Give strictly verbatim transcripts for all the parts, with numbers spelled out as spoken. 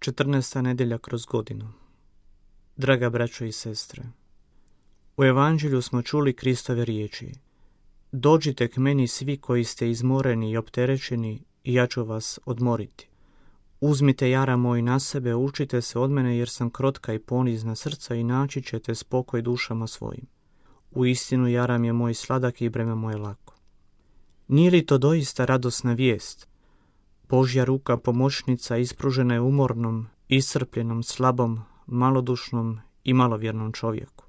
četrnaesta nedjelja kroz godinu. Draga braćo i sestre, u Evanđelju smo čuli Kristove riječi: dođite k meni svi koji ste izmoreni i opterećeni, i ja ću vas odmoriti. Uzmite jara moj na sebe, učite se od mene, jer sam krotka i ponizna srca, i naći ćete spokoj dušama svojim. Uistinu jaram je moj sladak i breme moje lako. Nije li to doista radosna vijest? Božja ruka pomoćnica ispružena je umornom, iscrpljenom, slabom, malodušnom i malovjernom čovjeku.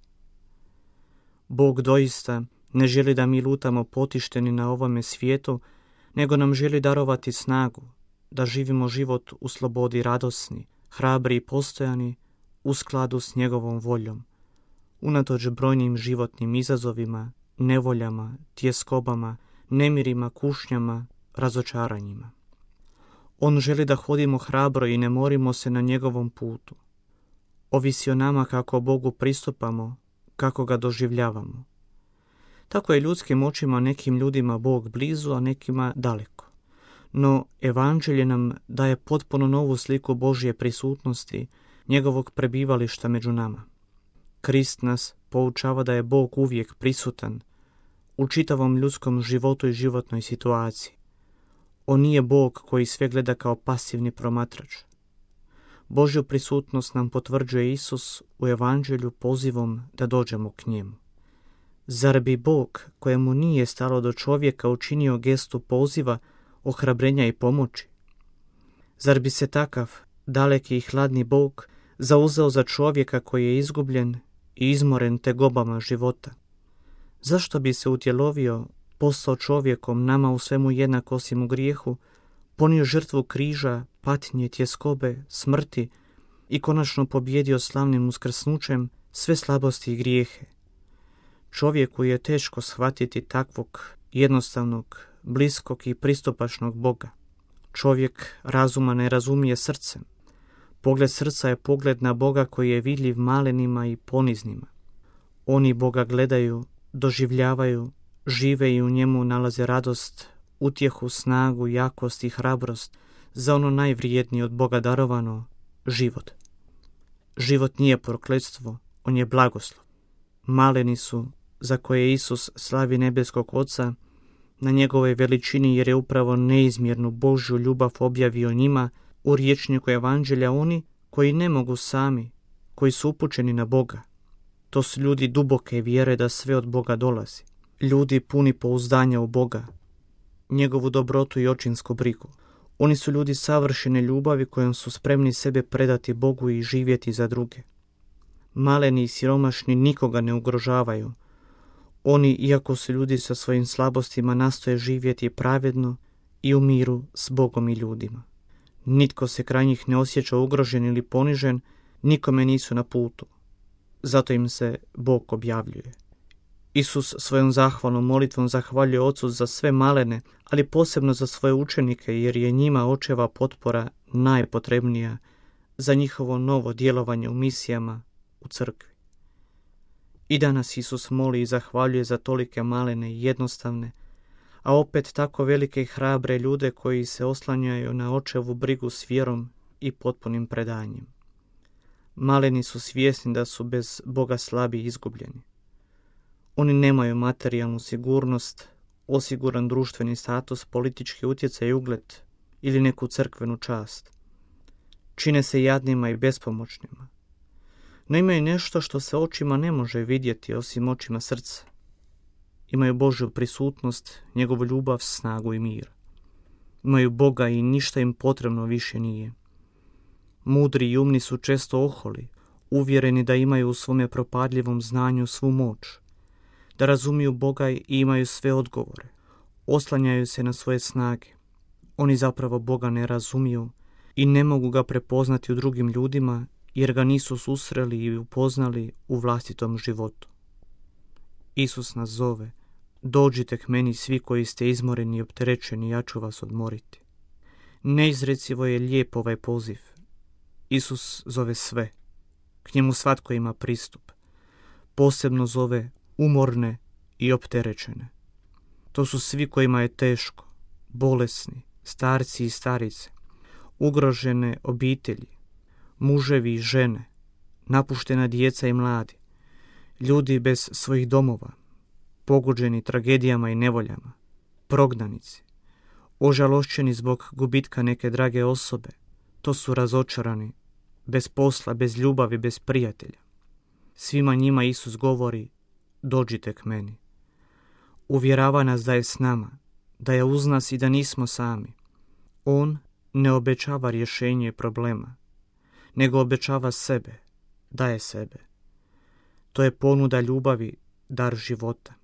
Bog doista ne želi da mi lutamo potišteni na ovome svijetu, nego nam želi darovati snagu, da živimo život u slobodi radosni, hrabri i postojani, u skladu s njegovom voljom, unatoč brojnim životnim izazovima, nevoljama, tjeskobama, nemirima, kušnjama, razočaranjima. On želi da hodimo hrabro i ne morimo se na njegovom putu. Ovisi o nama kako Bogu pristupamo, kako ga doživljavamo. Tako je ljudskim očima nekim ljudima Bog blizu, a nekima daleko. No Evanđelje nam daje potpuno novu sliku Božje prisutnosti, njegovog prebivališta među nama. Krist nas poučava da je Bog uvijek prisutan u čitavom ljudskom životu i životnoj situaciji. On nije Bog koji sve gleda kao pasivni promatrač. Božju prisutnost nam potvrđuje Isus u Evanđelju pozivom da dođemo k njemu. Zar bi Bog, kojemu nije stalo do čovjeka, učinio gestu poziva, ohrabrenja i pomoći? Zar bi se takav daleki i hladni Bog zauzeo za čovjeka koji je izgubljen i izmoren tegobama života? Zašto bi se utjelovio, postao čovjekom, nama u svemu jednak osim u grijehu, ponio žrtvu križa, patnje, tjeskobe, smrti i konačno pobjedio slavnim uskrsnućem sve slabosti i grijehe? Čovjeku je teško shvatiti takvog jednostavnog, bliskog i pristupačnog Boga. Čovjek razuma ne razumije srcem. Pogled srca je pogled na Boga koji je vidljiv malenima i poniznima. Oni Boga gledaju, doživljavaju, žive i u njemu nalaze radost, utjehu, snagu, jakost i hrabrost za ono najvrijednije od Boga darovano, život. Život nije prokletstvo, on je blagoslov. Maleni su, za koje Isus slavi nebeskog Oca, na njegovoj veličini, jer je upravo neizmjernu Božju ljubav objavio njima u rječniku Evanđelja, oni koji ne mogu sami, koji su upućeni na Boga. To su ljudi duboke vjere da sve od Boga dolazi. Ljudi puni pouzdanja u Boga, njegovu dobrotu i očinsku brigu. Oni su ljudi savršene ljubavi kojom su spremni sebe predati Bogu i živjeti za druge. Maleni i siromašni nikoga ne ugrožavaju. Oni, iako su ljudi sa svojim slabostima, nastoje živjeti pravedno i u miru s Bogom i ljudima. Nitko se kraj njih ne osjeća ugrožen ili ponižen, nikome nisu na putu. Zato im se Bog objavljuje. Isus svojom zahvalnom molitvom zahvaljuje Ocu za sve malene, ali posebno za svoje učenike, jer je njima očeva potpora najpotrebnija za njihovo novo djelovanje u misijama u crkvi. I danas Isus moli i zahvaljuje za tolike malene i jednostavne, a opet tako velike i hrabre ljude koji se oslanjaju na očevu brigu s vjerom i potpunim predanjem. Maleni su svjesni da su bez Boga slabi i izgubljeni. Oni nemaju materijalnu sigurnost, osiguran društveni status, politički utjecaj i ugled ili neku crkvenu čast. Čine se jadnima i bespomoćnima. No imaju nešto što se očima ne može vidjeti osim očima srca. Imaju Božju prisutnost, njegovu ljubav, snagu i mir. Imaju Boga i ništa im potrebno više nije. Mudri i umni su često oholi, uvjereni da imaju u svome propadljivom znanju svu moć, da razumiju Boga i imaju sve odgovore. Oslanjaju se na svoje snage. Oni zapravo Boga ne razumiju i ne mogu ga prepoznati u drugim ljudima, jer ga nisu susreli i upoznali u vlastitom životu. Isus nas zove: dođite k meni svi koji ste izmoreni i opterećeni, ja ću vas odmoriti. Neizrecivo je lijep ovaj poziv. Isus zove sve. K njemu svatko ima pristup. Posebno zove umorne i opterećene. To su svi kojima je teško, bolesni, starci i starice, ugrožene obitelji, muževi i žene, napuštena djeca i mladi, ljudi bez svojih domova, pogođeni tragedijama i nevoljama, prognanici, ožalošćeni zbog gubitka neke drage osobe, to su razočarani, bez posla, bez ljubavi, bez prijatelja. Svima njima Isus govori, dođite k meni. Uvjerava nas da je s nama, da je uz nas i da nismo sami. On ne obećava rješenje problema, nego obećava sebe, daje sebe. To je ponuda ljubavi, dar života.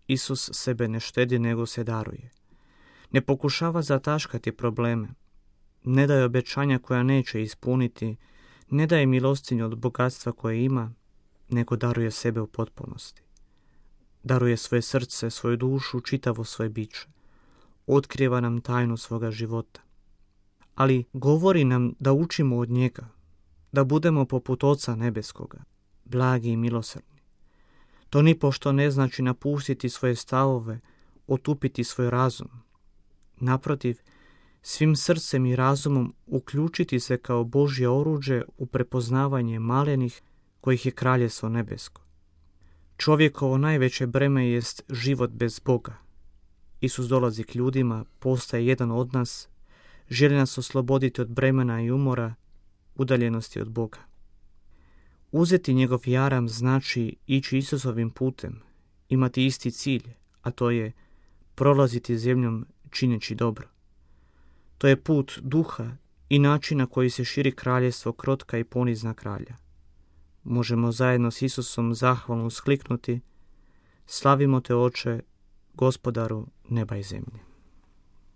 Isus sebe ne štedi, nego se daruje. Ne pokušava zataškati probleme, ne daje obećanja koja neće ispuniti, ne daje milostinju od bogatstva koje ima, nego daruje sebe u potpunosti. Daruje svoje srce, svoju dušu, čitavo svoje biće. Otkriva nam tajnu svoga života. Ali govori nam da učimo od njega, da budemo poput Oca nebeskoga, blagi i milosrdni. To nipošto ne znači napustiti svoje stavove, otupiti svoj razum. Naprotiv, svim srcem i razumom uključiti se kao Božje oruđe u prepoznavanje malenih kojih je kraljestvo nebesko. Čovjekovo najveće breme jest život bez Boga. Isus dolazi k ljudima, postaje jedan od nas, želi nas osloboditi od bremena i umora, udaljenosti od Boga. Uzeti njegov jaram znači ići Isusovim putem, imati isti cilj, a to je prolaziti zemljom čineći dobro. To je put duha i način na koji se širi kraljestvo krotka i ponizna kralja. Možemo zajedno s Isusom zahvalno uskliknuti, slavimo te, Oče, Gospodaru neba i zemlje.